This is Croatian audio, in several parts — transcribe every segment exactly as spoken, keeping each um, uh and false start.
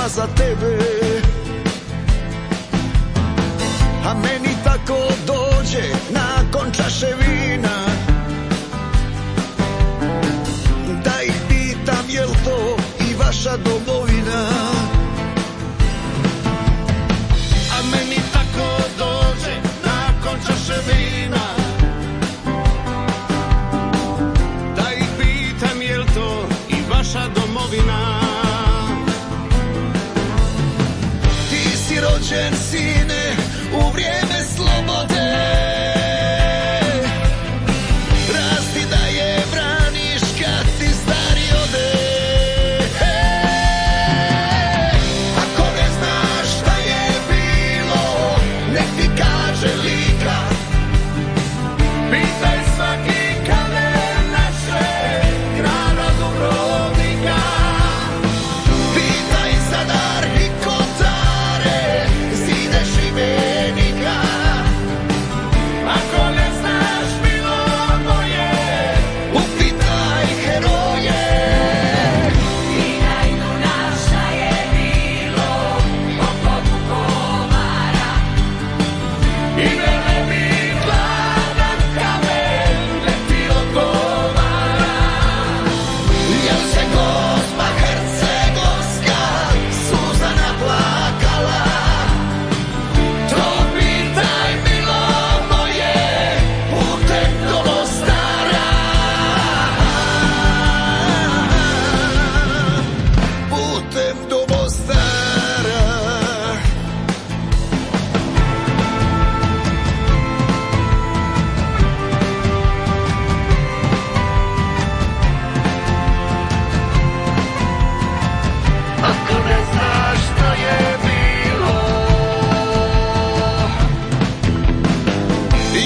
Za tebe, a meni tako dođe nakon čaše vina, da ih pitam jel to i vaša domovina. A meni tako dođe nakon čaše vina, da ih pitam jel to i vaša domovina. Rođen sine u vrijeme slobode, rasti da je braniš kad ti stari ode. Ako ne znaš šta je bilo, nek ti kaže Lika, pitaj svaki kamen naše grada Dubrovnika, pitaj Zadar i Kotare, zide Šibenika. Ako ne znaš bilo moje, upitaj heroje. Pitaj Dunav šta je bilo oko Vukovara, I velebit gladan kamen leti odgovara. Jel se Gospa Hercegovska Suzana plakala? To pitaj milo moje putem do Mostara. Putem do Mostara. Ako ne znaš što je bilo,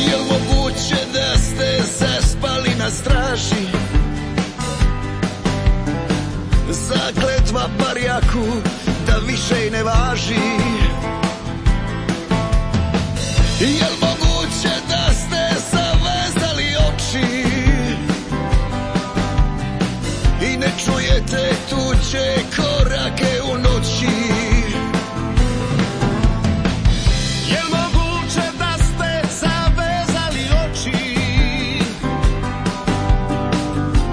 jel moguće da ste zaspali na straži? Zakletva barjaku da više i ne važi. Jel moguće da ste zavezali oči i ne čujete tuđe korake u noći? Jel moguće da ste zavezali oči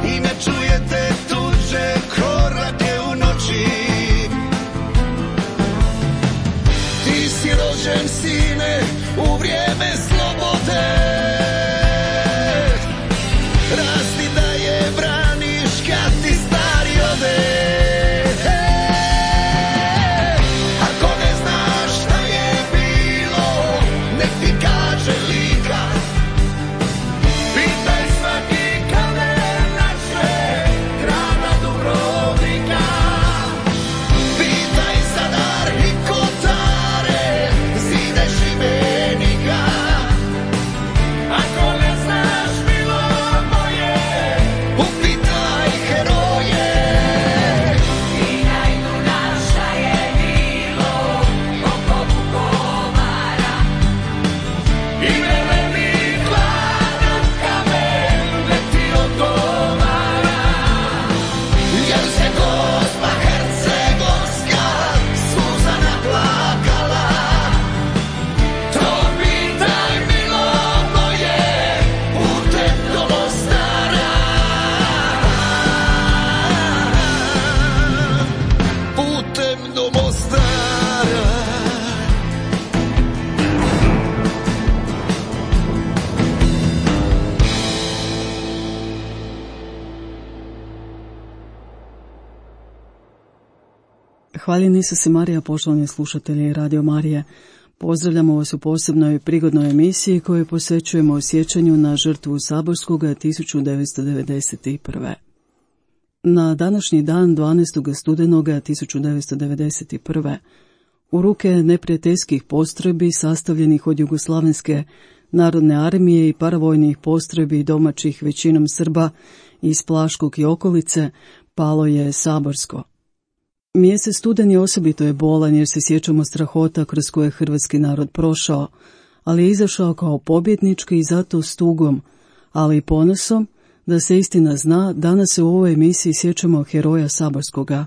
i ne čujete tuđe korake u noći? Ti si rođen sine u vrijeme slobode, rasti da je braniš kad ti stari ode. Ako ne znaš šta je bilo, nek ti kaže Lika, pitaj svaki kamen naše grada Dubrovnika, pitaj Zadar i Kotare, zide Šibenika. Ako ne znaš bilo moje, upitaj heroje. pitaj Dunav šta je bilo oko Vukovara, I velebit gladan kamen leti odgovara. Jel se Gospa Hercegovska Suzana plakala? To pitaj milo moje putem do Mostara. Putem do Mostara. Hvaljen Isus i Marija, poštovani slušatelji Radio Marije. Pozdravljamo vas u posebnoj prigodnoj emisiji koju posvećujemo sjećanju na žrtvu Saborskoga tisuću devetsto devedeset prve. Na današnji dan dvanaestog studenoga tisuću devetsto devedeset prve. u ruke neprijateljskih postrojbi sastavljenih od Jugoslavenske narodne armije i paravojnih postrojbi domaćih većinom Srba iz Plaškog i okolice palo je Saborsko. Mjesec studen je osobito je bolan jer se sjećamo strahota kroz koje hrvatski narod prošao, ali je izašao kao pobjednički i zato s tugom, ali i ponosom da se istina zna. Danas se u ovoj emisiji sjećamo heroja Saborskoga,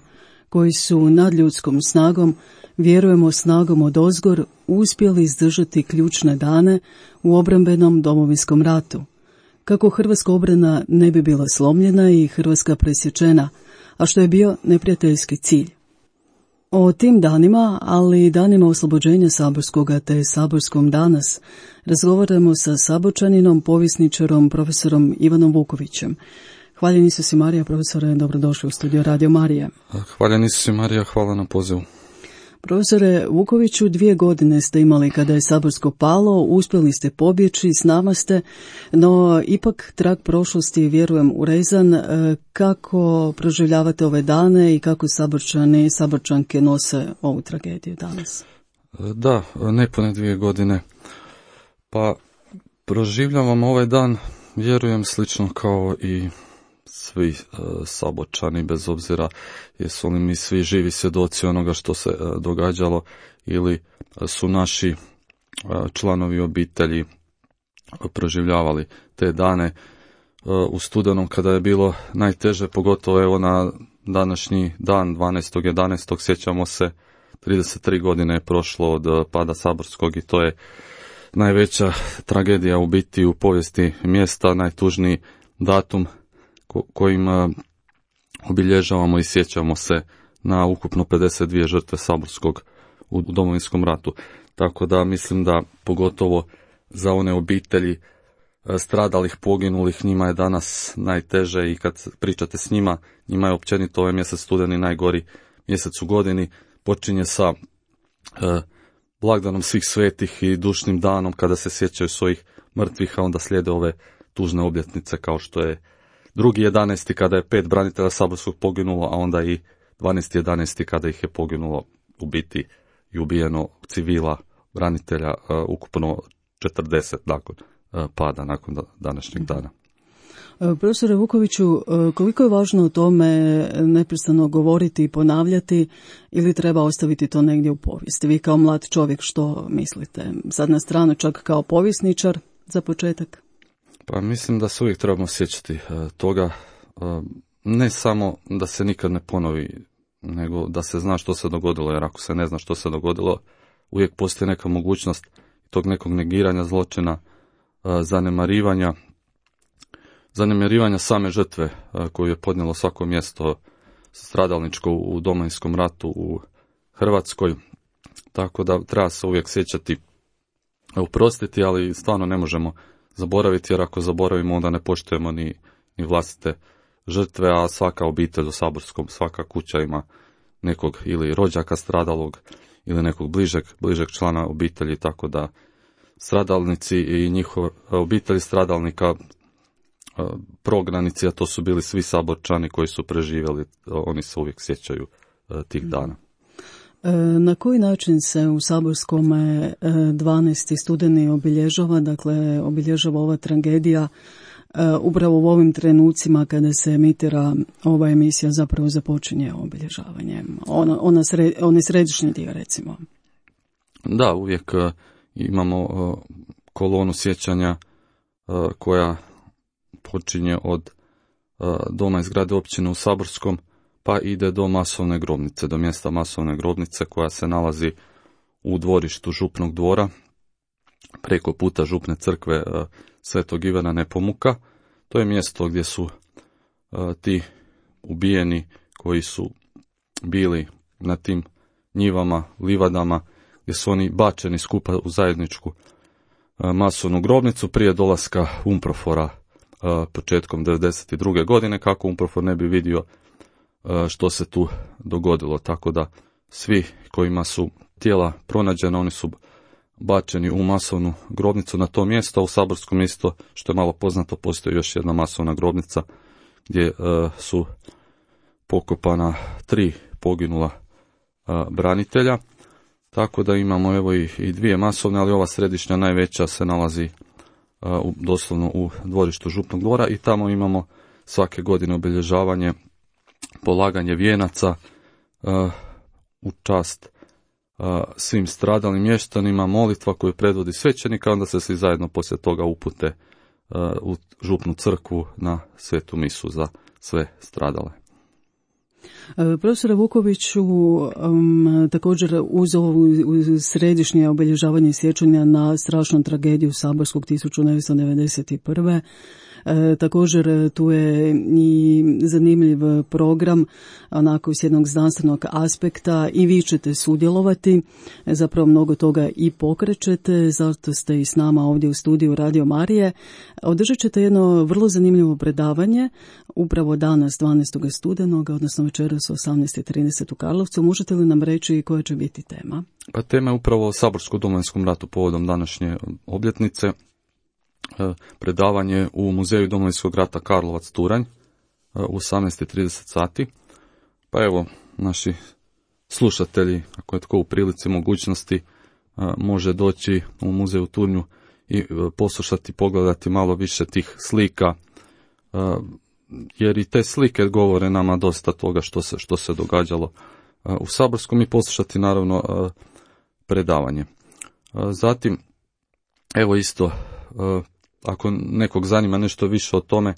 koji su nadljudskom snagom, vjerujemo snagom odozgor, uspjeli izdržati ključne dane u obrambenom Domovinskom ratu. Kako hrvatska obrana ne bi bila slomljena i Hrvatska presječena, a što je bio neprijateljski cilj. O tim danima, ali i danima oslobođenja Saborskoga te Saborskom danas, razgovaramo sa Saborčaninom, povjesničarom, profesorom Ivanom Vukovićem. Hvaljeni su si Marija, profesore, dobrodošli u studio Radio Marije. Hvaljeni su si Marija, hvala na pozivu. Profesore Vukoviću, dvije godine ste imali kada je Saborsko palo, uspjeli ste pobjeći, s nama ste, no ipak trag prošlosti, vjerujem, urezan. Kako proživljavate ove dane i kako Saborčani i Saborčanke nose ovu tragediju danas? Da, nepune dvije godine. Pa proživljavam ovaj dan, vjerujem, slično kao i svi uh, Saborčani, bez obzira jesu li mi svi živi svjedoci onoga što se uh, događalo ili uh, su naši uh, članovi obitelji uh, proživljavali te dane uh, u studenom kada je bilo najteže, pogotovo evo na današnji dan dvanaestog jedanaestog sjećamo se, trideset tri godine je prošlo od uh, pada Saborskog i to je najveća tragedija u biti u povijesti mjesta, najtužniji datum kojim obilježavamo i sjećamo se na ukupno pedeset dvije žrtve Saborskog u Domovinskom ratu. Tako da mislim da pogotovo za one obitelji stradalih, poginulih, njima je danas najteže i kad pričate s njima, njima je općenito ovaj mjesec studeni najgori mjesec u godini. Počinje sa eh, blagdanom svih svetih i dušnim danom kada se sjećaju svojih mrtvih, a onda slijede ove tužne obljetnice kao što je drugi jedanaesti kada je pet branitelja Saborskog poginulo, a onda i dvanaesti jedanaesti kada ih je poginulo u biti i ubijeno civila, branitelja, uh, ukupno četrdeset nakon uh, pada, nakon današnjeg dana. Profesore Vukoviću, koliko je važno o tome neprestano govoriti i ponavljati ili treba ostaviti to negdje u povijesti? Vi kao mlad čovjek što mislite? Sad na stranu čak kao povjesničar za početak? Pa mislim da se uvijek trebamo sjećati uh, toga, uh, ne samo da se nikad ne ponovi, nego da se zna što se dogodilo, jer ako se ne zna što se dogodilo, uvijek postoji neka mogućnost tog nekog negiranja zločina, uh, zanemarivanja, zanemarivanja same žrtve uh, koju je podnijelo svako mjesto stradalničko u Domovinskom ratu u Hrvatskoj, tako da treba se uvijek sjećati, oprostiti, ali stvarno ne možemo zaboraviti, jer ako zaboravimo onda ne poštujemo ni, ni vlastite žrtve, a svaka obitelj u Saborskom, svaka kuća ima nekog ili rođaka stradalog ili nekog bližeg, bližeg člana obitelji, tako da stradalnici i njihove obitelji stradalnika, prognanici, a to su bili svi Saborčani koji su preživjeli, oni se uvijek sjećaju tih dana. Na koji način se u Saborskom dvanaesti studeni obilježava, dakle obilježava ova tragedija upravo u ovim trenucima kada se emitira ova emisija, zapravo započinje obilježavanje, ona, ona sre, onaj središnji dio recimo? Da, uvijek imamo kolonu sjećanja koja počinje od doma i zgrade općine u Saborskom, pa ide do masovne grobnice, do mjesta masovne grobnice koja se nalazi u dvorištu Župnog dvora, preko puta Župne crkve Svetog Ivana Nepomuka. To je mjesto gdje su ti ubijeni koji su bili na tim njivama, livadama, gdje su oni bačeni skupa u zajedničku masovnu grobnicu prije dolaska Umprofora početkom devedeset druge godine, kako Umprofor ne bi vidio što se tu dogodilo, tako da svi kojima su tijela pronađena, oni su bačeni u masovnu grobnicu na to mjesto, a u Saborskom isto, što je malo poznato, postoji još jedna masovna grobnica gdje uh, su pokopana tri poginula a, branitelja, tako da imamo evo i, i dvije masovne, ali ova središnja najveća se nalazi a, u, doslovno u dvorištu Župnog dvora i tamo imamo svake godine obilježavanje, polaganje vijenaca a, u čast a, svim stradalim mještanima, molitva koju predvodi svećenika, onda se svi zajedno poslije toga upute a, u Župnu crkvu na svetu misu za sve stradale. Profesore Vukoviću, um, također uz ovo središnje obilježavanje sjećanja na strašnu tragediju Saborskog tisuću devetsto devedeset prve. E, također tu je i zanimljiv program, onako s jednog znanstvenog aspekta, i vi ćete sudjelovati, zapravo mnogo toga i pokrećete, zato ste i s nama ovdje u studiju Radio Marije. Održat ćete jedno vrlo zanimljivo predavanje, upravo danas dvanaestog studenog, odnosno večeras u osamnaest i trideset u Karlovcu. Možete li nam reći koja će biti tema? Pa tema je upravo o Saborsko-domovinskom ratu povodom današnje obljetnice. Predavanje u Muzeju Domovinskog rata Karlovac Turanj u osamnaest i trideset sati. Pa evo, naši slušatelji, ako je tko u prilici mogućnosti, može doći u Muzej u Turnju i poslušati, pogledati malo više tih slika, jer i te slike govore nama dosta toga što se, što se događalo u Saborskom, i poslušati naravno predavanje. Zatim, evo isto, ako nekog zanima nešto više o tome,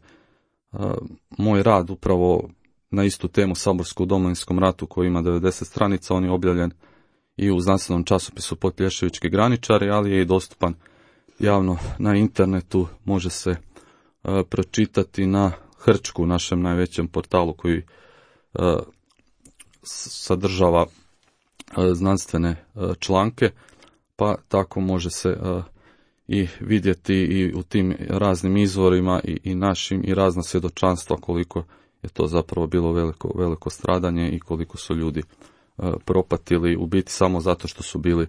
moj rad upravo na istu temu Saborsko u Domovinskom ratu koji ima devedeset stranica, on je objavljen i u znanstvenom časopisu Potplješevički graničari, ali je i dostupan javno na internetu, može se pročitati na Hrčku, našem najvećem portalu koji sadržava znanstvene članke, pa tako može se i vidjeti i u tim raznim izvorima i, i našim i razna svjedočanstva koliko je to zapravo bilo veliko, veliko stradanje i koliko su ljudi uh, propatili u biti samo zato što su bili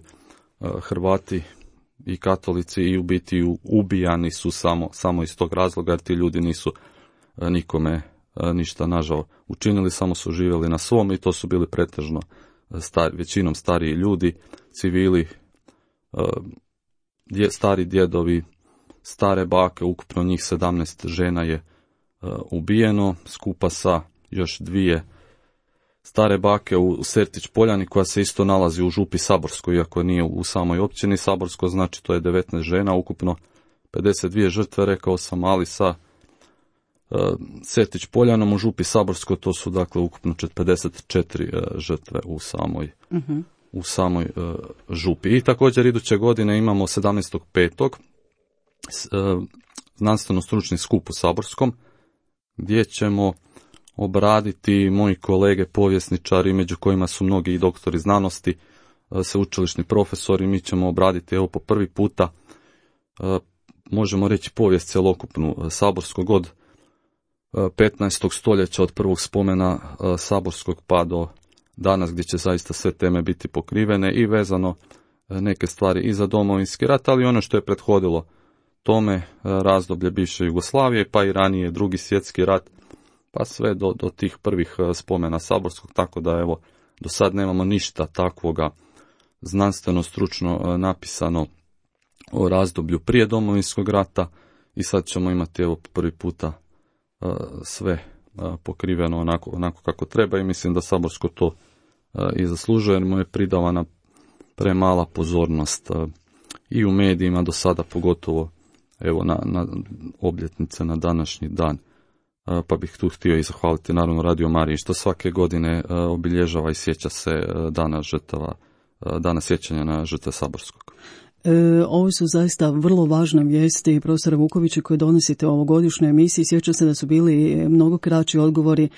uh, Hrvati i katolici, i u biti ubijani su samo, samo iz tog razloga, jer ti ljudi nisu uh, nikome uh, ništa nažao učinili, samo su živjeli na svom, i to su bili pretežno uh, star, većinom stariji ljudi, civili, uh, dje, stari djedovi, stare bake, ukupno njih sedamnaest žena je uh, ubijeno, skupa sa još dvije stare bake u Sertić Poljani, koja se isto nalazi u Župi Saborskoj, iako nije u samoj općini Saborsko, znači to je devetnaest žena, ukupno pedeset dvije žrtve, rekao sam, ali sa uh, Sertić Poljanom u Župi Saborskoj to su dakle ukupno pedeset četiri uh, žrtve u samoj uh-huh. u samoj uh, župi. I također iduće godine imamo sedamnaestog petog Uh, znanstveno-stručni skup u Saborskom, gdje ćemo obraditi moji kolege povjesničari, među kojima su mnogi i doktori znanosti, uh, sveučilišni profesori. Mi ćemo obraditi evo po prvi puta, uh, možemo reći, povijest cjelokupnu uh, Saborskog od uh, petnaestog stoljeća, od prvog spomena uh, Saborskog pa do danas, gdje će zaista sve teme biti pokrivene i vezano uh, neke stvari i za Domovinski rat, ali ono što je prethodilo tome, razdoblje bivše Jugoslavije, pa i ranije Drugi svjetski rat, pa sve do, do tih prvih spomena Saborskog, tako da evo, do sad nemamo ništa takvoga znanstveno stručno napisano o razdoblju prije Domovinskog rata, i sad ćemo imati evo prvi puta sve pokriveno onako, onako kako treba, i mislim da Saborsko to i zaslužuje, jer mu je pridavana premala pozornost i u medijima do sada, pogotovo evo na, na obljetnice na današnji dan. Pa bih tu htio i zahvaliti naravno Radio Mariji što svake godine obilježava i sjeća se dana žrtava, dana sjećanja na žrtve Saborskog. E, ovo su zaista vrlo važne vijesti, profesore Vukoviću, koje donosite u ovogodišnjoj emisiji. Sjećam se da su bili mnogo kraći odgovori e,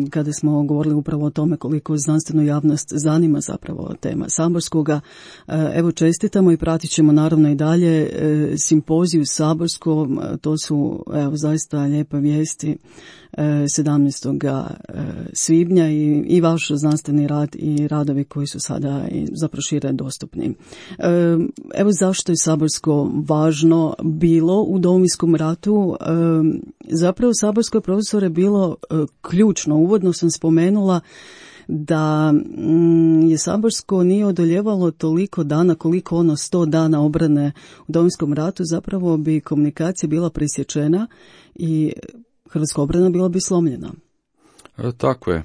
kada smo govorili upravo o tome koliko znanstvenu javnost zanima zapravo tema Saborskoga. E, evo, čestitamo i pratit ćemo naravno i dalje e, simpoziju Saborskom. To su evo zaista lijepe vijesti. sedamnaestog svibnja i, i vaš znanstveni rad i radovi koji su sada i zapravo šire dostupni. Evo zašto je Saborsko važno bilo u Domovinskom ratu. Zapravo Saborsko, profesore, bilo ključno. Uvodno sam spomenula da je Saborsko nije odoljevalo toliko dana koliko ono sto dana obrane u Domovinskom ratu, zapravo bi komunikacija bila presječena i hrvatska obrana bila bi slomljena. E, tako je.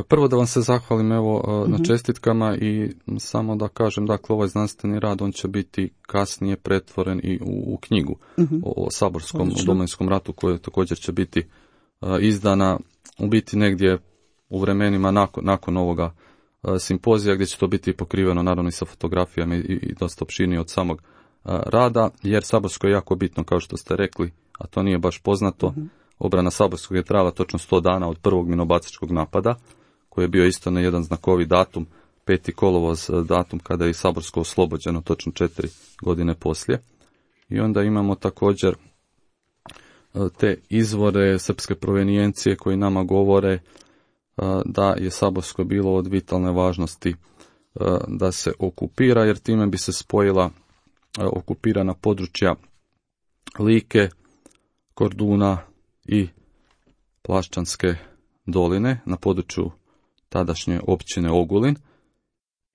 Prvo da vam se zahvalim evo uh-huh. na čestitkama i samo da kažem, dakle ovaj znanstveni rad on će biti kasnije pretvoren i u, u knjigu uh-huh. o, o Saborskom Odlično. u Domovinskom ratu koja također će biti uh, izdana u biti negdje u vremenima nakon, nakon ovoga uh, simpozija gdje će to biti pokriveno naravno i sa fotografijama i, i dosta opširnije od samog uh, rada, jer Saborsko je jako bitno kao što ste rekli, a to nije baš poznato. Uh-huh. Obrana Saborskog je trajala točno sto dana od prvog minobacačkog napada, koji je bio isto na jedan znakovi datum, peti kolovoz datum kada je Saborsko oslobođeno, točno četiri godine poslije. I onda imamo također te izvore srpske provenijencije koji nama govore da je Saborsko bilo od vitalne važnosti da se okupira, jer time bi se spojila okupirana područja Like, Korduna i Plaščanske doline na području tadašnje općine Ogulin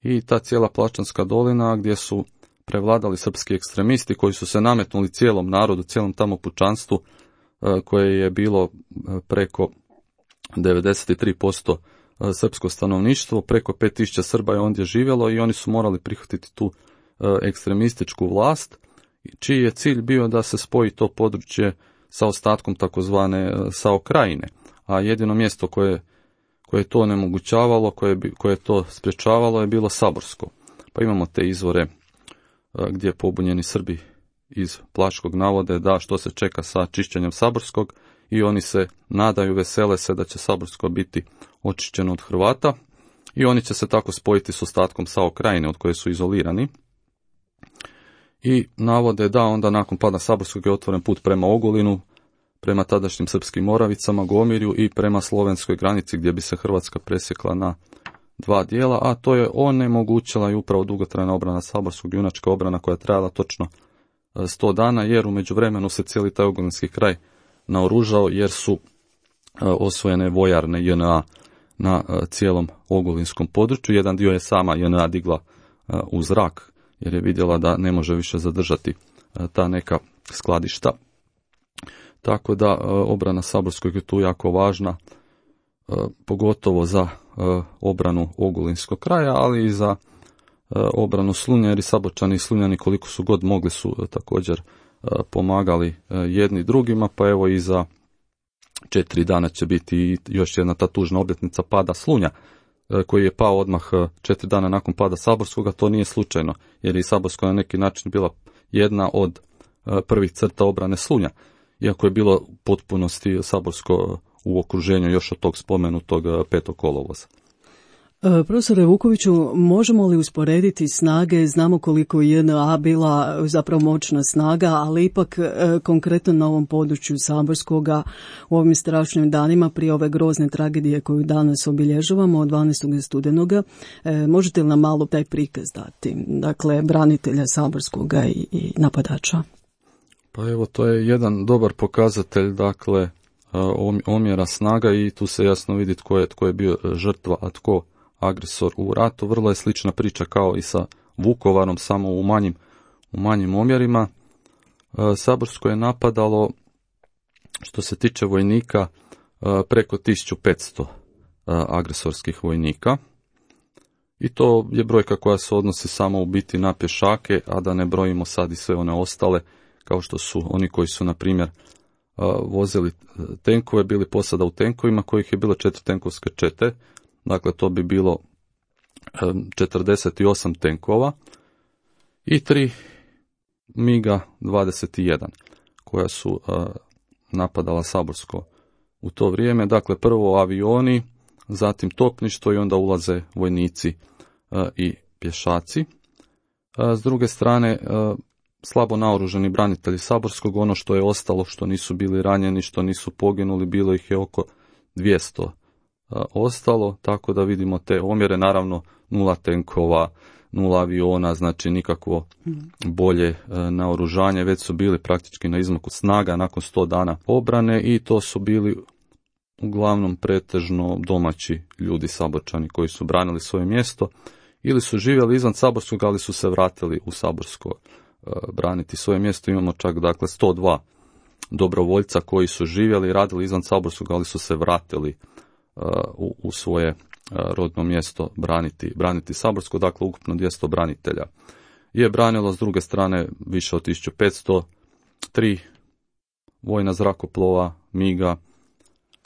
i ta cijela Plaščanska dolina gdje su prevladali srpski ekstremisti koji su se nametnuli cijelom narodu, cijelom tamo pučanstvu koje je bilo preko devedeset tri posto srpsko stanovništvo, preko pet tisuća Srba je ondje živjelo i oni su morali prihvatiti tu ekstremističku vlast, čiji je cilj bio da se spoji to područje sa ostatkom takozvane Sao Krajine, a jedino mjesto koje, koje je to onemogućavalo, koje, koje je to sprječavalo je bilo Saborsko. Pa imamo te izvore gdje pobunjeni Srbi iz Plaškog navode da što se čeka sa čišćenjem Saborskog i oni se nadaju, vesele se da će Saborsko biti očišćeno od Hrvata i oni će se tako spojiti s ostatkom Sao Krajine od koje su izolirani. I navode da onda nakon pada Saborskog je otvoren put prema Ogulinu, prema tadašnjim srpskim Moravicama, Gomirju i prema slovenskoj granici gdje bi se Hrvatska presjekla na dva dijela, a to je onemogućila i upravo dugotrajna obrana Saborskog, junačka obrana koja je trajala točno sto dana, jer u međuvremenu se cijeli taj ogulinski kraj naoružao jer su osvojene vojarne J N A na cijelom ogulinskom području. Jedan dio je sama J N A digla u zrak jer je vidjela da ne može više zadržati ta neka skladišta. Tako da obrana Saborskog je tu jako važna, pogotovo za obranu ogulinskog kraja, ali i za obranu Slunja, jer i Saborčani i Slunjani koliko su god mogli su također pomagali jedni drugima, pa evo i za četiri dana će biti još jedna ta tužna obljetnica pada Slunja, koji je pao odmah četiri dana nakon pada Saborskoga. To nije slučajno, jer je i Saborsko na neki način bila jedna od prvih crta obrane Slunja, iako je bilo u potpunosti Saborsko u okruženju još od tog spomenutog petog kolovoza. Profesore Vukoviću, možemo li usporediti snage, znamo koliko je J N A bila zapravo moćna snaga, ali ipak konkretno na ovom području Saborskoga u ovim strašnim danima prije ove grozne tragedije koju danas obilježavamo od dvanaestog studenoga, možete li nam malo taj prikaz dati, dakle branitelja Saborskoga i, i napadača? Pa evo, to je jedan dobar pokazatelj, dakle, omjera snaga i tu se jasno vidi tko je, tko je bio žrtva, a tko agresor u ratu. Vrlo je slična priča kao i sa Vukovarom, samo u manjim, u manjim omjerima. Saborsko je napadalo, što se tiče vojnika, preko tisuću petsto agresorskih vojnika. I to je brojka koja se odnosi samo u biti na pješake, a da ne brojimo sad i sve one ostale, kao što su oni koji su, na primjer, vozili tenkove, bili posada u tenkovima, kojih je bilo četiri tenkovske čete. Dakle, to bi bilo četrdeset osam tenkova i tri miga dvadeset jedan koja su napadala Saborsko u to vrijeme. Dakle, prvo avioni, zatim topništvo i onda ulaze vojnici i pješaci. S druge strane, slabo naoružani branitelji Saborskog, ono što je ostalo, što nisu bili ranjeni, što nisu poginuli, bilo ih je oko dvjesto ostalo, tako da vidimo te omjere, naravno nula tenkova, nula aviona, znači nikakvo bolje naoružanje, već su bili praktički na izmaku snaga nakon sto dana obrane i to su bili uglavnom pretežno domaći ljudi Saborčani koji su branili svoje mjesto ili su živjeli izvan Saborskog, ali su se vratili u Saborsko braniti svoje mjesto. Imamo čak dakle sto dva dobrovoljca koji su živjeli i radili izvan Saborskog, ali su se vratili u, u svoje rodno mjesto braniti, braniti Saborsko, dakle ukupno dvjesto branitelja je branilo, s druge strane više od tisuću petsto, tri vojna zrakoplova, miga,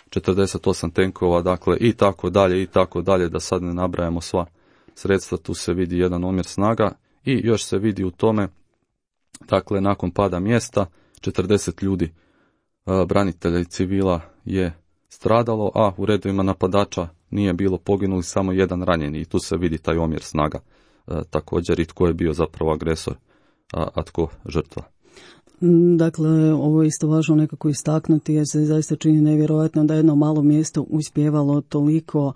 četrdeset osam tenkova, dakle i tako dalje i tako dalje, da sad ne nabrajamo sva sredstva. Tu se vidi jedan omjer snaga i još se vidi u tome, dakle nakon pada mjesta četrdeset ljudi branitelja i civila je stradalo, a u redovima napadača nije bilo poginuli, samo jedan ranjeni i tu se vidi taj omjer snaga također i tko je bio zapravo agresor, a, a tko žrtva. Dakle, ovo je isto važno nekako istaknuti jer se zaista čini nevjerojatno da jedno malo mjesto uspjevalo toliko uh,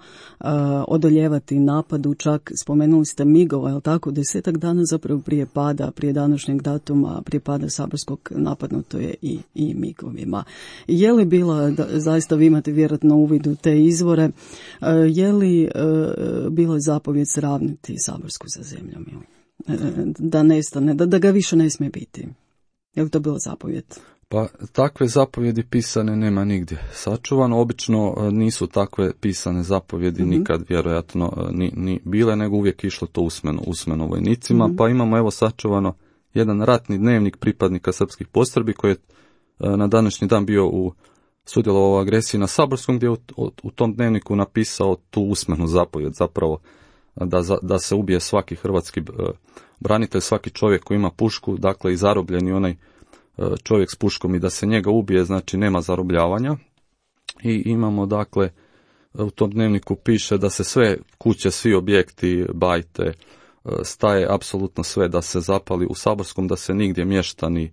odoljevati napadu, čak spomenuli ste migova, jel tako, desetak dana zapravo prije pada, prije današnjeg datuma, prije pada Saborskog napadnuto je i, i migovima. Je li bila, da, zaista vi imate vjerojatno uvid u te izvore, uh, je li uh, bila zapovjed sravniti Saborsku sa zemljom ili uh, da nestane, da, da ga više ne smije biti? Je li to bilo zapovjed? Pa takve zapovjedi pisane nema nigdje sačuvano. Obično nisu takve pisane zapovjedi mm-hmm. nikad vjerojatno ni, ni bile, nego uvijek išlo to usmeno, usmeno vojnicima. Mm-hmm. Pa imamo evo sačuvano jedan ratni dnevnik pripadnika srpskih postrojbi koji je na današnji dan bio u sudjelovao u agresiji na Saborskom, gdje je u, u tom dnevniku napisao tu usmenu zapovjed zapravo da, da se ubije svaki hrvatski branitelj, svaki čovjek koji ima pušku, dakle i zarobljeni onaj čovjek s puškom i da se njega ubije, znači nema zarobljavanja. I imamo dakle, u tom dnevniku piše da se sve kuće, svi objekti, bajte, staje, apsolutno sve da se zapali u Saborskom, da se nigdje mještani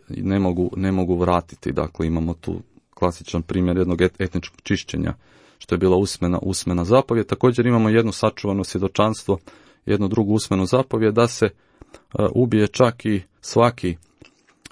ne mogu, ne mogu vratiti. Dakle, imamo tu klasičan primjer jednog etničkog čišćenja, što je bila usmena, usmena zapovjed. Također imamo jedno sačuvano svjedočanstvo, jednu drugu usmenu zapovjed da se uh, ubije čak i svaki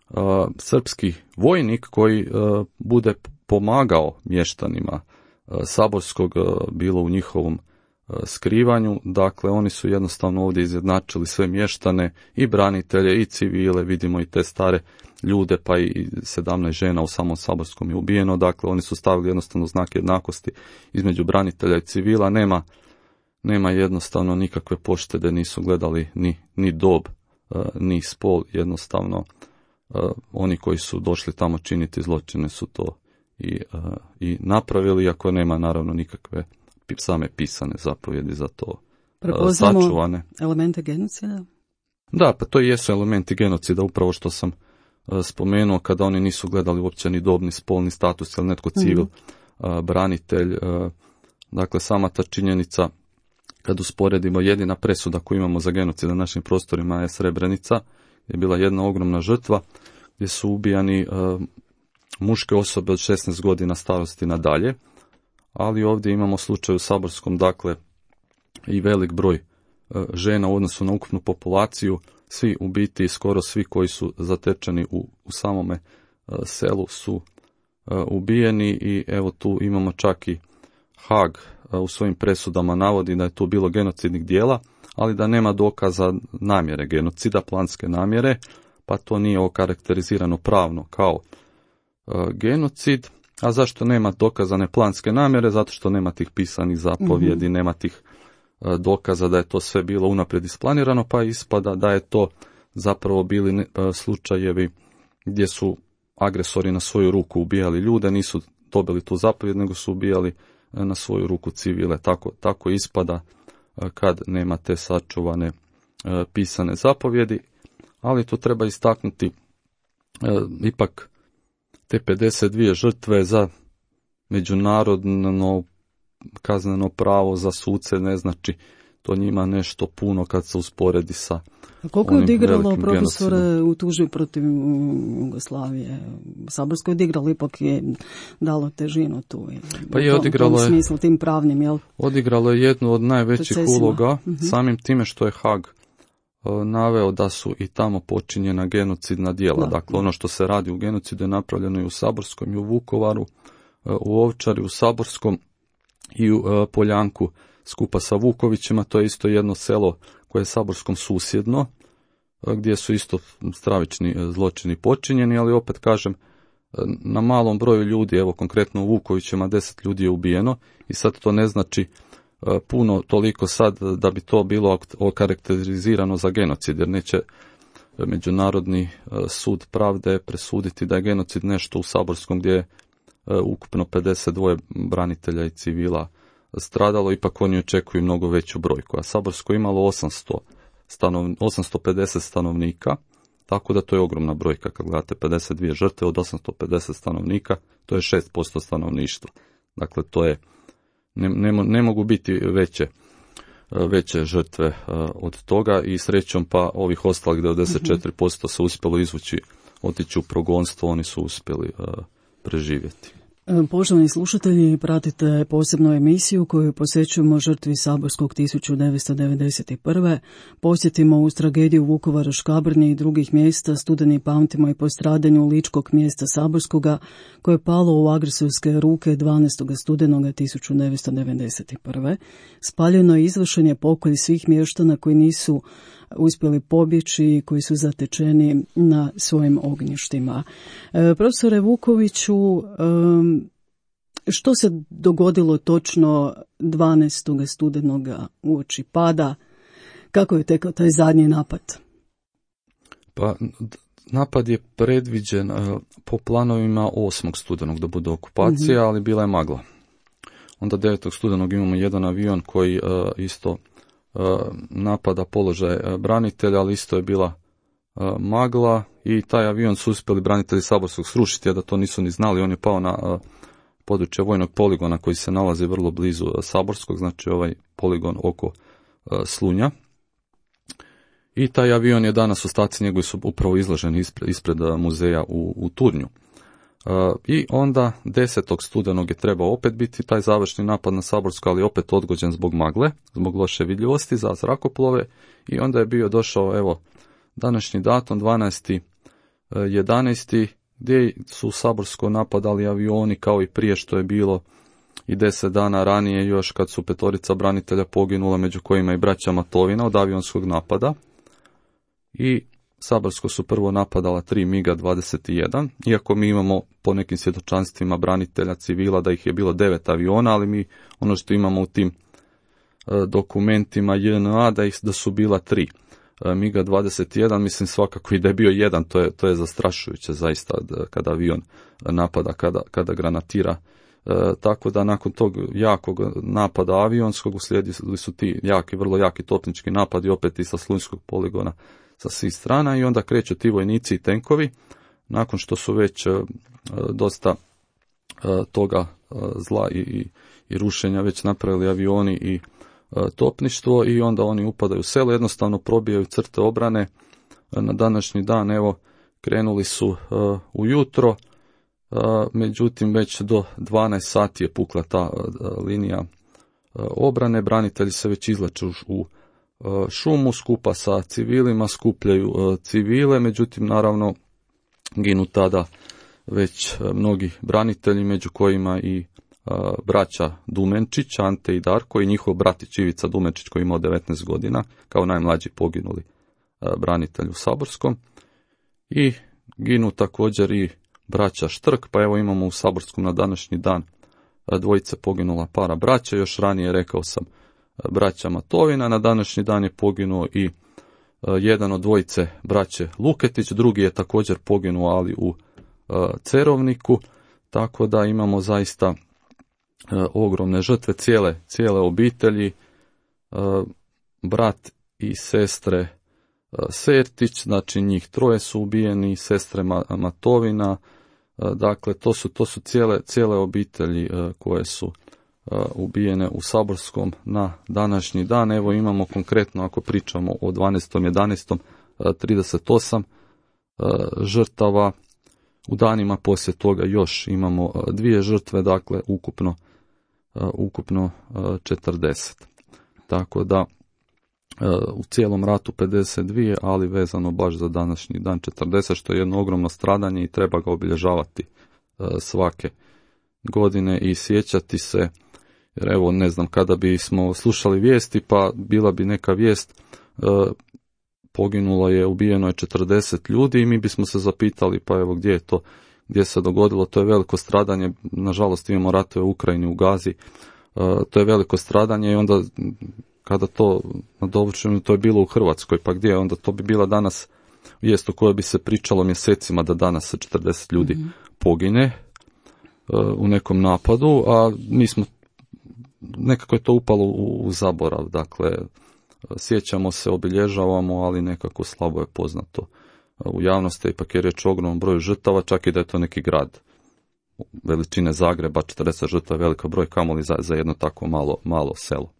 uh, srpski vojnik koji uh, bude pomagao mještanima uh, Saborskog, uh, bilo u njihovom uh, skrivanju. Dakle, oni su jednostavno ovdje izjednačili sve mještane i branitelje i civile, vidimo i te stare ljude, pa i sedamnaest žena u samom Saborskom je ubijeno. Dakle, oni su stavili jednostavno znak jednakosti između branitelja i civila. Nema Nema jednostavno nikakve poštede, nisu gledali ni, ni dob, uh, ni spol, jednostavno uh, oni koji su došli tamo činiti zločine su to i, uh, i napravili, iako nema naravno nikakve same pisane zapovjedi za to uh, sačuvane. Elemente genocida? Da, pa to i jesu elementi genocida, upravo što sam uh, spomenuo, kada oni nisu gledali uopće ni dob, ni spol, ni status, ili netko civil, mm-hmm. uh, branitelj. Uh, dakle, sama ta činjenica, kad usporedimo, jedina presuda koju imamo za genocid na našim prostorima je Srebrenica, je bila jedna ogromna žrtva gdje su ubijani uh, muške osobe od šesnaest godina starosti nadalje, ali ovdje imamo slučaj u Saborskom, dakle i velik broj uh, žena u odnosu na ukupnu populaciju, svi u biti, skoro svi koji su zatečeni u, u samome uh, selu su uh, ubijeni i evo tu imamo čak i Haag u svojim presudama navodi da je tu bilo genocidnih dijela, ali da nema dokaza namjere genocida, planske namjere, pa to nije okarakterizirano pravno kao uh, genocid. A zašto nema dokazane planske namjere? Zato što nema tih pisanih zapovjedi, mm-hmm. nema tih uh, dokaza da je to sve bilo unaprijed isplanirano, pa ispada da je to zapravo bili ne, uh, slučajevi gdje su agresori na svoju ruku ubijali ljude, nisu dobili tu zapovjed, nego su ubijali na svoju ruku civile. Tako, tako ispada kad nema te sačuvane e, pisane zapovjedi, ali tu treba istaknuti e, ipak te pedeset dvije žrtve za međunarodno kazneno pravo, za suce, ne znači to njima nešto puno kad se usporedi sa A koliko je onim odigralo velikim profesore genocidom. u tužbi protiv mm, Jugoslavije? Saborsko je odigralo, ipak je dalo težinu tu. i Pa u je tom- odigralo u tom je- smislu, tim pravnim, jel? Odigralo je jednu od najvećih Procesima. uloga, Mhm. samim time što je Haag e, naveo da su i tamo počinjena genocidna djela. Da, Dakle, da. ono što se radi u genocidu je napravljeno i u Saborskom, i u Vukovaru, e, u Ovčari, u Saborskom i u e, Poljanku skupa sa Vukovićima. To je isto jedno selo koje je Saborskom susjedno, e, gdje su isto stravični e, zločini počinjeni, ali opet kažem, e, na malom broju ljudi, evo konkretno u Vukovićima deset ljudi je ubijeno i sad to ne znači e, puno toliko sad da bi to bilo ok- okarakterizirano za genocid, jer neće Međunarodni e, sud pravde presuditi da je genocid nešto u Saborskom gdje je e, ukupno pedeset dva branitelja i civila stradalo, ipak oni očekuju mnogo veću brojku. A Saborsko je imalo osamsto stanov, osamsto pedeset stanovnika, tako da to je ogromna brojka. Kad gledate pedeset dvije žrtve od osamsto pedeset stanovnika, to je šest posto stanovništva. Dakle, to je, ne, ne, mo- ne mogu biti veće veće žrtve e, od toga i srećom pa ovih ostalih devedeset četiri posto se uspjelo izvući, otići u progonstvo, oni su uspjeli e, preživjeti. E, Poštovani slušatelji, pratite posebnu emisiju koju posvećujemo žrtvi Saborskog tisuću devetsto devedeset prve. Posjetimo uz tragediju Vukovara, Škabrnje i drugih mjesta, studeni pamtimo i po stradanju ličkog mjesta Saborskoga koje je palo u agresorske ruke dvanaestog studenoga tisuću devetsto devedeset prve. Spaljeno je izvršen je pokolj svih mještana koji nisu uspjeli pobjeći i koji su zatečeni na svojim ognjištima. E, profesore Vukoviću, em, što se dogodilo točno dvanaestog studenoga uoči pada? Kako je tekao taj zadnji napad? Pa d- napad je predviđen e, po planovima osmog studenog da bude okupacija, ali bila je magla. Onda devetog studenog imamo jedan avion koji e, isto e, napada položaj e, branitelja, ali isto je bila e, magla i taj avion su uspjeli branitelji Saborskog srušiti, a da to nisu ni znali. On je pao na e, područje vojnog poligona koji se nalazi vrlo blizu e, Saborskog, znači ovaj poligon oko e, Slunja. I taj avion je danas, ostaci njegovi su upravo izloženi ispred, ispred e, muzeja u, u Turnju. E, I onda desetog studenog je trebao opet biti taj završni napad na Saborsko, ali opet odgođen zbog magle, zbog loše vidljivosti za zrakoplove i onda je bio došao, evo, današnji datum, dvanaesti jedanaesti gdje su u Saborsko napadali avioni kao i prije što je bilo i deset dana ranije još kad su petorica branitelja poginula, među kojima i braća Matovina od avionskog napada. I Saborsko su prvo napadala tri miga dvadeset jedan, iako mi imamo po nekim svjedočanstvima branitelja civila da ih je bilo devet aviona, ali mi ono što imamo u tim e, dokumentima J N A da ih da su bila tri. E, miga dvadeset jedan, mislim svakako i da je bio jedan, to je, to je zastrašujuće zaista da, kada avion napada, kada, kada granatira. E, tako da nakon tog jakog napada avionskog uslijedili su ti jaki, vrlo jaki topnički napadi opet i sa Slunjskog poligona sa svih strana i onda kreću ti vojnici i tenkovi nakon što su već e, dosta e, toga e, zla i, i, i rušenja već napravili avioni i e, topništvo i onda oni upadaju u selo, jednostavno probijaju crte obrane. E, na današnji dan evo krenuli su e, ujutro, e, međutim već do dvanaest sati je pukla ta e, linija e, obrane, branitelji se već izlaču u šumu skupa sa civilima, skupljaju civile, međutim naravno ginu tada već mnogi branitelji, među kojima i braća Dumenčić, Ante i Darko i njihov bratić Ivica Dumenčić koji je imao devetnaest godina, kao najmlađi poginuli branitelj u Saborskom. I ginu također i braća Štrk, pa evo imamo u Saborskom na današnji dan dvojice poginula para braća, još ranije rekao sam braća Matovina, na današnji dan je poginuo i uh, jedan od dvojice braće Luketić, drugi je također poginuo, ali u uh, Cerovniku, tako da imamo zaista uh, ogromne žrtve cijele, cijele obitelji, uh, brat i sestre uh, Sertić, znači njih troje su ubijeni, sestre Ma- Matovina, uh, dakle to su, to su cijele, cijele obitelji uh, koje su ubijene u Saborskom na današnji dan. Evo imamo konkretno, ako pričamo o dvanaestom jedanaestom trideset osam žrtava. U danima poslije toga još imamo dvije žrtve, dakle ukupno, ukupno četrdeset. Tako da u cijelom ratu pedeset dva, ali vezano baš za današnji dan četrdeset, što je jedno ogromno stradanje i treba ga obilježavati svake godine i sjećati se. Jer evo, ne znam, kada bi smo slušali vijesti, pa bila bi neka vijest, poginulo je, ubijeno je četrdeset ljudi i mi bismo se zapitali, pa evo gdje je to, gdje se dogodilo, to je veliko stradanje, nažalost imamo ratove u Ukrajini, u Gazi, to je veliko stradanje i onda kada to nadovršeno, to je bilo u Hrvatskoj, pa gdje, onda to bi bila danas vijest o kojoj bi se pričalo mjesecima da danas se četrdeset ljudi mm-hmm. pogine u nekom napadu, a mi smo, nekako je to upalo u, u zaborav, dakle, sjećamo se, obilježavamo, ali nekako slabo je poznato u javnosti, ipak je riječ o ogromnom broju žrtava, čak i da je to neki grad veličine Zagreba, četrdeset žrtava je velika broj, kamoli za, za jedno tako malo, malo selo.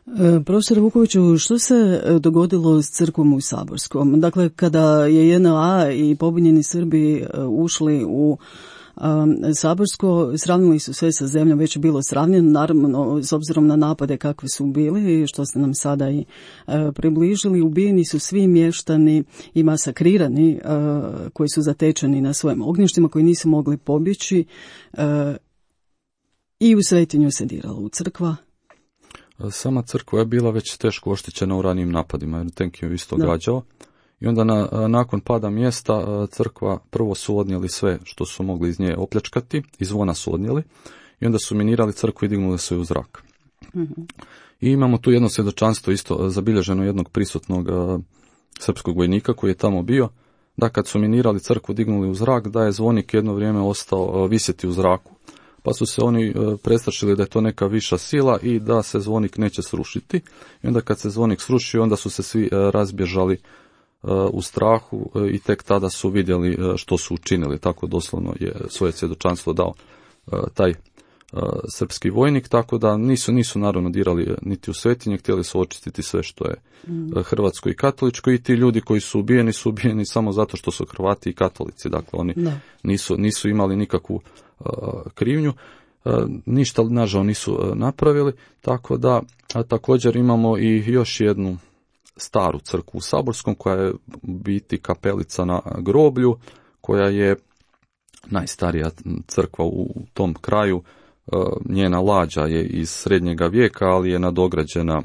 E, profesor Vukoviću, što se dogodilo s crkvom u Saborskom? Dakle, kada je J N A i pobunjeni Srbi ušli u Um, Saborsko, sravnili su sve sa zemljom, već je bilo sravnjeno, naravno s obzirom na napade kakve su bili, što ste nam sada i uh, približili, ubijeni su svi mještani i masakrirani uh, koji su zatečeni na svojim ognjištima, koji nisu mogli pobjeći, uh, i u Svetinju se diralo u crkva. Sama crkva je bila već teško oštećena u ranijim napadima, jer tenk je isto gađao. I onda na, nakon pada mjesta crkva prvo su odnijeli sve što su mogli iz nje opljačkati, iz zvona su odnijeli i onda su minirali crkvu i dignuli se u zrak. Mm-hmm. I imamo tu jedno svjedočanstvo isto zabilježeno jednog prisutnog uh, srpskog vojnika koji je tamo bio, da kad su minirali crkvu, dignuli u zrak, da je zvonik jedno vrijeme ostao uh, visjeti u zraku. Pa su se oni uh, prestrašili da je to neka viša sila i da se zvonik neće srušiti. I onda kad se zvonik srušio, onda su se svi uh, razbježali u strahu i tek tada su vidjeli što su učinili. Tako doslovno je svoje svjedočanstvo dao taj srpski vojnik, tako da nisu, nisu naravno dirali niti u Svetinje, htjeli su očistiti sve što je hrvatsko i katoličko i ti ljudi koji su ubijeni su ubijeni samo zato što su Hrvati i katolici, dakle oni nisu, nisu imali nikakvu krivnju. Ništa nažao nisu napravili, tako da a također imamo i još jednu staru crkvu u Saborskom, koja je u biti kapelica na groblju, koja je najstarija crkva u tom kraju. Njena lađa je iz srednjega vijeka, ali je nadograđena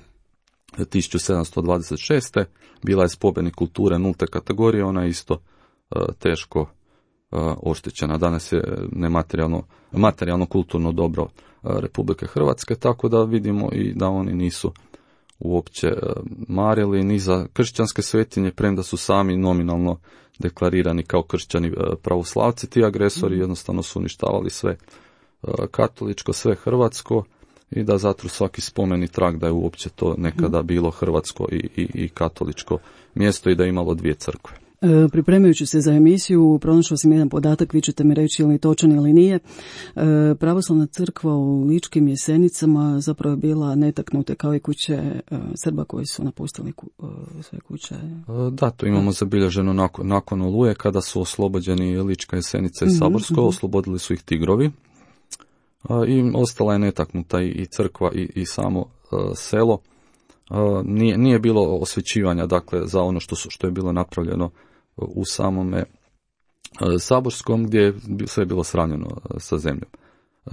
tisuću sedamsto dvadeset šeste. Bila je spomenik kulture nulte kategorije, ona je isto teško oštećena. Danas je nematerijalno, materijalno kulturno dobro Republike Hrvatske, tako da vidimo i da oni nisu uopće marili ni za kršćanske svetinje, premda su sami nominalno deklarirani kao kršćani pravoslavci. Ti agresori jednostavno su uništavali sve katoličko, sve hrvatsko i da zatru svaki spomeni trag da je uopće to nekada bilo hrvatsko i, i, i katoličko mjesto i da je imalo dvije crkve. E, pripremajući se za emisiju, pronašao sam jedan podatak, vi ćete mi reći ili točan ili nije. E, pravoslavna crkva u Ličkim Jesenicama zapravo je bila netaknuta kao i kuće e, Srba koji su napustili ku, e, sve kuće. E, da, to imamo zabilježeno nakon, nakon Oluje, kada su oslobođeni Lička Jesenica i Saborsko, mm-hmm. oslobodili su ih Tigrovi. E, I ostala je netaknuta i, i crkva i, i samo e, selo. E, nije, nije bilo osvećivanja, dakle, za ono što, su, što je bilo napravljeno u samome Saborskom, gdje je sve bilo sravnjeno sa zemljom.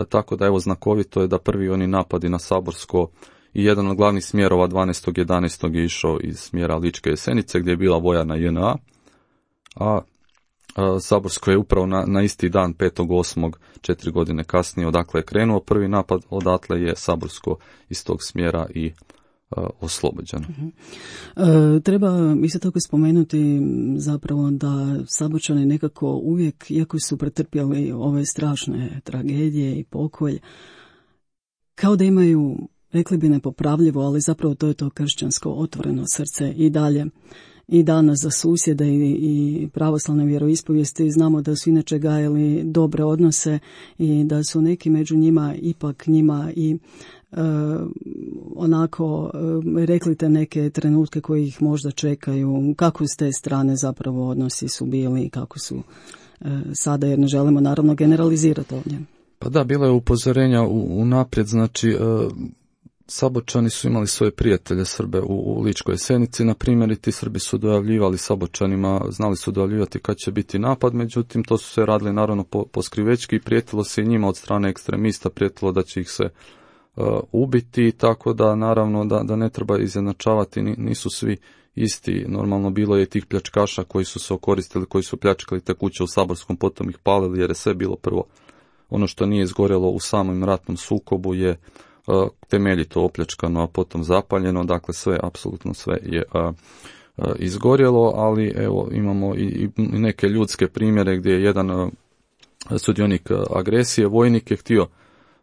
Tako da evo znakovito je da prvi oni napadi na Saborsko i jedan od glavnih smjerova dvanaestog jedanaestog je išao iz smjera Ličke Jesenice gdje je bila vojarna J N A, a, a Saborsko je upravo na, na isti dan petog osmog četiri godine kasnije odakle je krenuo prvi napad, odatle je Saborsko iz tog smjera i oslobođeno. Uh-huh. E, treba isto tako spomenuti zapravo da Saborčani nekako uvijek, iako su pretrpjeli ove strašne tragedije i pokolj, kao da imaju, rekli bi nepopravljivo, ali zapravo to je to kršćansko otvoreno srce i dalje. i danas za susjede i, i pravoslavne vjeroispovijesti. Znamo da su inače gajali dobre odnose i da su neki među njima ipak njima i e, onako e, rekli te neke trenutke koji ih možda čekaju. Kako s te strane zapravo odnosi su bili i kako su e, sada, jer ne želimo naravno generalizirati ovdje. Pa da, bilo je upozorenja u, u naprijed, znači e, Sabočani su imali svoje prijatelje Srbe u, u Ličkoj Senici, na primjer, i ti Srbi su dojavljivali Sabočanima, znali su dojavljivati kad će biti napad, međutim to su se radili naravno po, po skrivečki i prijetilo se i njima od strane ekstremista, prijetilo da će ih se uh, ubiti, tako da naravno da, da ne treba izjednačavati, nisu svi isti. Normalno bilo je tih pljačkaša koji su se okoristili, koji su pljačkali te kuće u Saborskom, potom ih palili jer je sve bilo prvo. Ono što nije izgorjelo u samom ratnom sukobu je uh, temeljito opljačkano, a potom zapaljeno, dakle sve, apsolutno sve je uh, uh, izgorjelo, ali evo imamo i, i neke ljudske primjere gdje je jedan uh, sudionik uh, agresije, vojnik je htio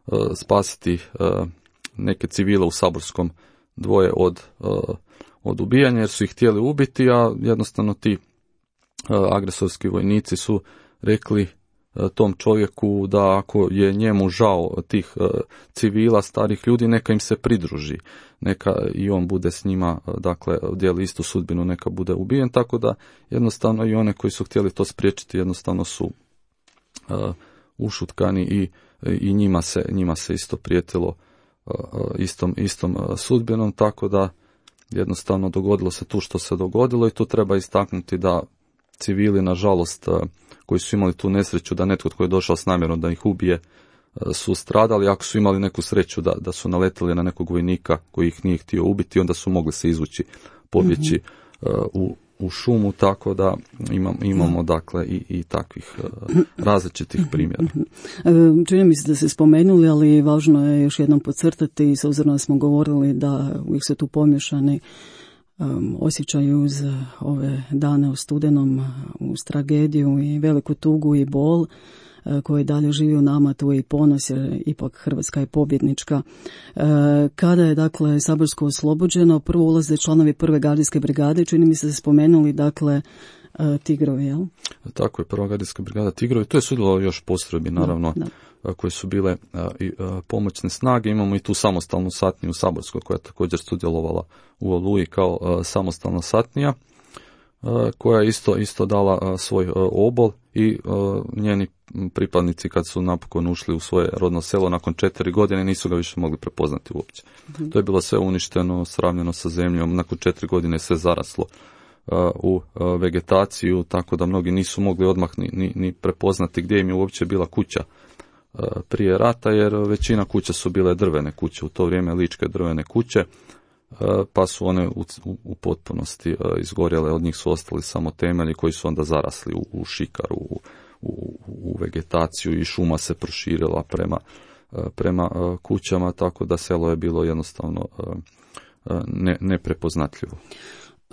uh, spasiti uh, neke civile u Saborskom, dvoje od, uh, od ubijanja jer su ih htjeli ubiti, a jednostavno ti uh, agresorski vojnici su rekli tom čovjeku da ako je njemu žao tih uh, civila, starih ljudi, neka im se pridruži, neka i on bude s njima, dakle, dijeli istu sudbinu, neka bude ubijen, tako da jednostavno i one koji su htjeli to spriječiti jednostavno su uh, ušutkani i, i njima se, njima se isto prijetilo uh, istom, istom uh, sudbinom, tako da jednostavno dogodilo se tu što se dogodilo i tu treba istaknuti da civili, nažalost, koji su imali tu nesreću da netko tko je došao s namjerom da ih ubije, su stradali. Ako su imali neku sreću da, da su naletili na nekog vojnika koji ih nije htio ubiti, onda su mogli se izvući, pobjeći mm-hmm. uh, u, u šumu, tako da imam, imamo dakle i, i takvih uh, različitih primjera. Čini mi se da se spomenuli, ali važno je još jednom podcrtati, s obzirom da smo govorili da uvijek su tu pomješani Um, osjećaju uz ove dane u studenom, uz tragediju i veliku tugu i bol uh, koji dalje živi u nama, tu je i ponos jer ipak Hrvatska je pobjednička. Uh, kada je dakle Saborsko oslobođeno, prvo ulaze članovi prve gardijske brigade, čini mi se da spomenuli dakle uh, Tigrovi, jel? Tako je, prva gardijska brigada Tigrovi, to je sudjelovalo još postrojbi naravno. Da, da. Koje su bile a, i, a, pomoćne snage. Imamo i tu samostalnu satniju u Saborskoj koja je također sudjelovala u Oluji kao a, samostalna satnija a, koja je isto, isto dala a, svoj a, obol i a, njeni pripadnici kad su napokon ušli u svoje rodno selo nakon četiri godine nisu ga više mogli prepoznati uopće. Mm-hmm. To je bilo sve uništeno, sravnjeno sa zemljom, nakon četiri godine sve zaraslo a, u a, vegetaciju, tako da mnogi nisu mogli odmah ni, ni, ni prepoznati gdje im je uopće bila kuća prije rata, jer većina kuća su bile drvene kuće, u to vrijeme ličke drvene kuće, pa su one u, u, u potpunosti izgorjele, od njih su ostali samo temelji koji su onda zarasli u, u šikaru, u, u, u vegetaciju i šuma se proširila prema, prema kućama, tako da selo je bilo jednostavno ne, neprepoznatljivo.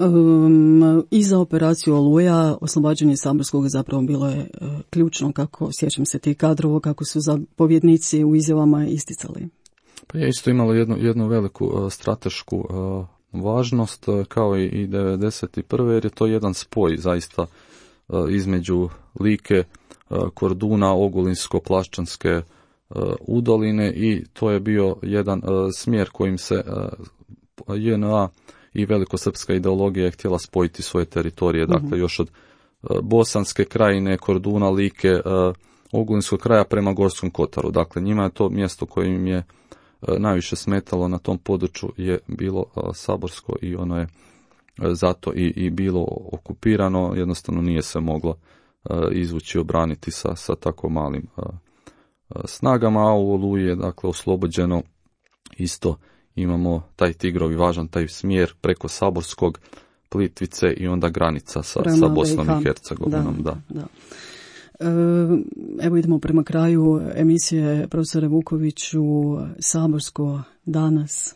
Um, I za operaciju Oluja oslobađanje Saborskog zapravo bilo je uh, ključno, kako sjećam se tih kadrova, kako su zapovjednici u izjavama isticali. Pa je isto imalo jednu, jednu veliku uh, stratešku uh, važnost, uh, kao i, i devedeset prve jer je to jedan spoj zaista uh, između Like, uh, Korduna, Ogulinsko-Plaščanske uh, udoline i to je bio jedan uh, smjer kojim se uh, J N A i velikosrpska ideologija je htjela spojiti svoje teritorije, dakle mm-hmm. još od uh, Bosanske krajine, Korduna, Like, uh, Ogulinskog kraja prema Gorskom Kotaru. Dakle, njima je to mjesto koje im je uh, najviše smetalo na tom području je bilo uh, Saborsko i ono je uh, zato i, i bilo okupirano, jednostavno nije se moglo uh, izvući, obraniti sa, sa tako malim uh, uh, snagama, a u Oluji je dakle oslobođeno isto. Imamo taj Tigrovi važan taj smjer preko Saborskog, Plitvice i onda granica sa, sa Bosnom i Hercegovinom. Da, da. Da. E, evo idemo prema kraju emisije, profesore Vukoviću, Saborsko danas.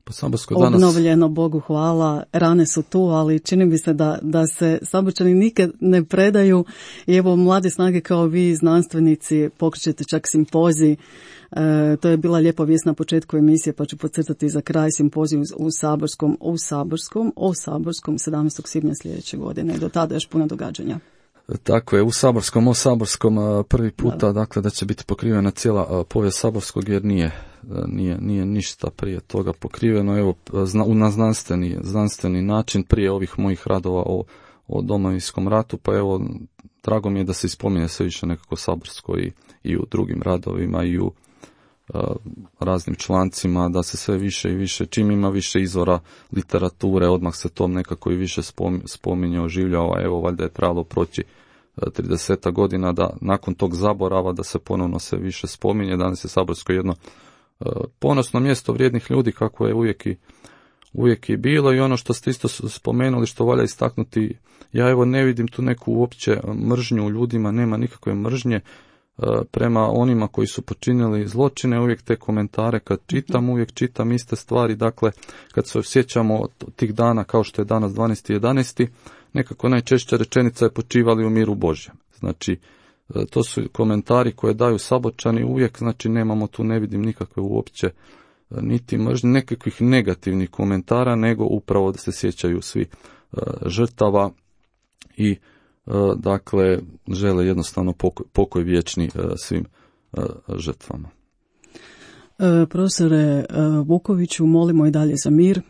Po Saborskoj danas... Obnovljeno, Bogu hvala, rane su tu, ali čini mi se da, da se Saborčani nikad ne predaju i evo mlade snage kao vi, znanstvenici, pokrećete čak simpozij. E, to je bila lijepa vijest na početku emisije, pa ću podcrtati za kraj simpoziju u Saborskom, u Saborskom, o Saborskom sedamnaestog svibnja sljedeće godine. Do tada još puno događanja. Tako je, u Saborskom, o Saborskom prvi puta, da. dakle, da će biti pokrivena cijela povijest Saborskog, jer nije, nije, nije ništa prije toga pokriveno, evo, na znanstveni, znanstveni način, prije ovih mojih radova o, o Domovinskom ratu, pa evo, drago mi je da se ispominje sve više nekako Saborsko i, i u drugim radovima i u uh, raznim člancima, da se sve više i više, čim ima više izvora literature, odmah se tom nekako i više spominje, oživljava, evo, valjda je trebalo proći trideset godina da nakon tog zaborava da se ponovno sve više spominje. Danas je Saborsko jedno uh, ponosno mjesto vrijednih ljudi, kako je uvijek i, uvijek i bilo, i ono što ste isto spomenuli, što valja istaknuti, ja evo ne vidim tu neku uopće mržnju u ljudima, nema nikakve mržnje uh, prema onima koji su počinili zločine. Uvijek te komentare kad čitam, uvijek čitam iste stvari, dakle kad se osjećamo tih dana kao što je danas dvanaesti jedanaesti, nekako najčešća rečenica je počivali u miru Božjem. Znači, to su komentari koje daju Saborčani uvijek, znači nemamo tu, ne vidim nikakve uopće niti mržnje, nekakvih negativnih komentara, nego upravo da se sjećaju svi uh, žrtava i uh, dakle žele jednostavno pokoj, pokoj vječni uh, svim uh, žrtvama. E, profesore uh, Vukoviću, molimo i dalje za mir.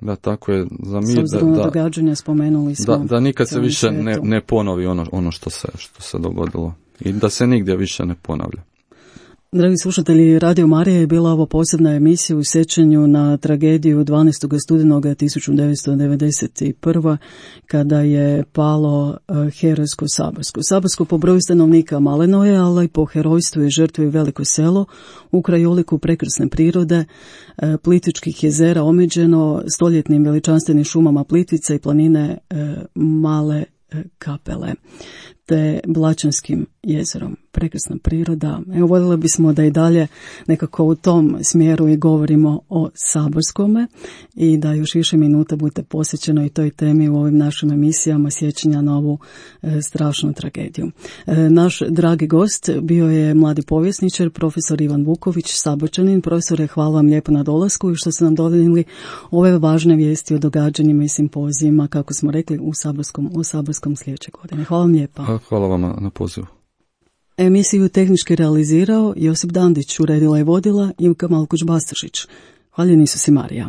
Da, tako je, za mir, s obzirom da, na događanja spomenuli smo. Da, da nikad se više ne, ne ponovi ono, ono što se, što se dogodilo i da se nigdje više ne ponavlja. Dragi slušatelji, Radio Marija je bila ovo posebna emisija u sjećanju na tragediju dvanaestog studenoga tisuću devetsto devedeset prve. kada je palo herojsko Saborsko. Saborsko po broju stanovnika maleno je, ali i po herojstvu i žrtvi veliko selo u krajoliku prekrasne prirode, Plitvičkih jezera omeđeno stoljetnim veličanstvenim šumama Plitvice i planine Male Kapele te Blačanskim jezerom. Prekrasna priroda. Evo, voljeli bismo da i dalje nekako u tom smjeru i govorimo o Saborskome i da još više minuta bude posvećeno i toj temi u ovim našim emisijama sjećanja na ovu e, strašnu tragediju. E, naš dragi gost bio je mladi povjesničar, profesor Ivan Vuković, Saborčanin. Profesore, hvala vam lijepo na dolasku i što ste nam donijeli ove važne vijesti o događanjima i simpozijima, kako smo rekli, u Saborskom, u Saborskom sljedeće godine. Hvala vam lijepa. Hvala vam na pozivu. Emisiju tehnički realizirao Josip Dandić, uredila i vodila Ivka Malkuć-Bastršić. Hvaljeni su si Marija.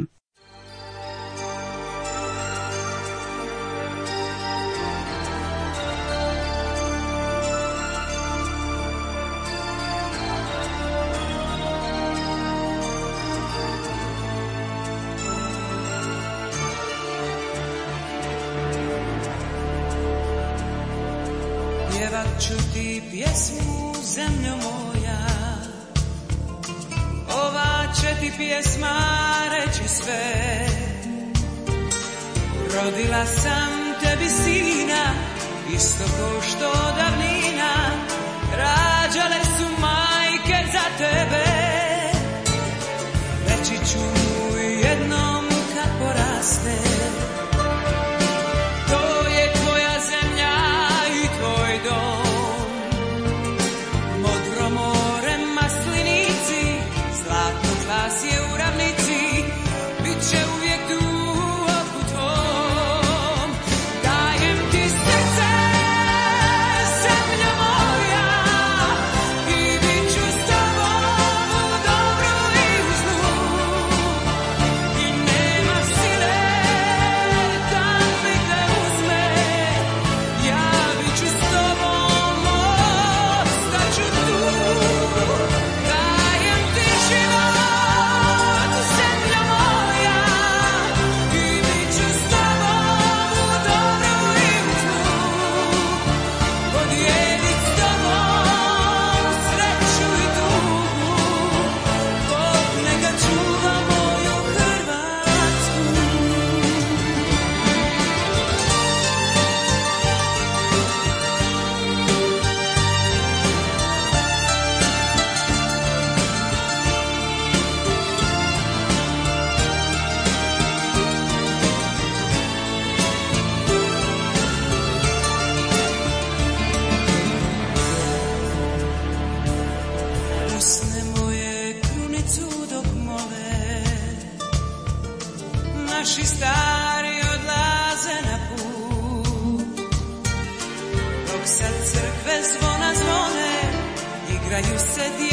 Pjevat ću ti pjesmu, zemljo moja, ova će ti pjesma reći sve. Rodila sam tebi sina, isto ko što davnina rađale su majke za tebe. Reći ću mu jednom kad poraste, sad crkve zvona zvone, igraju se djeca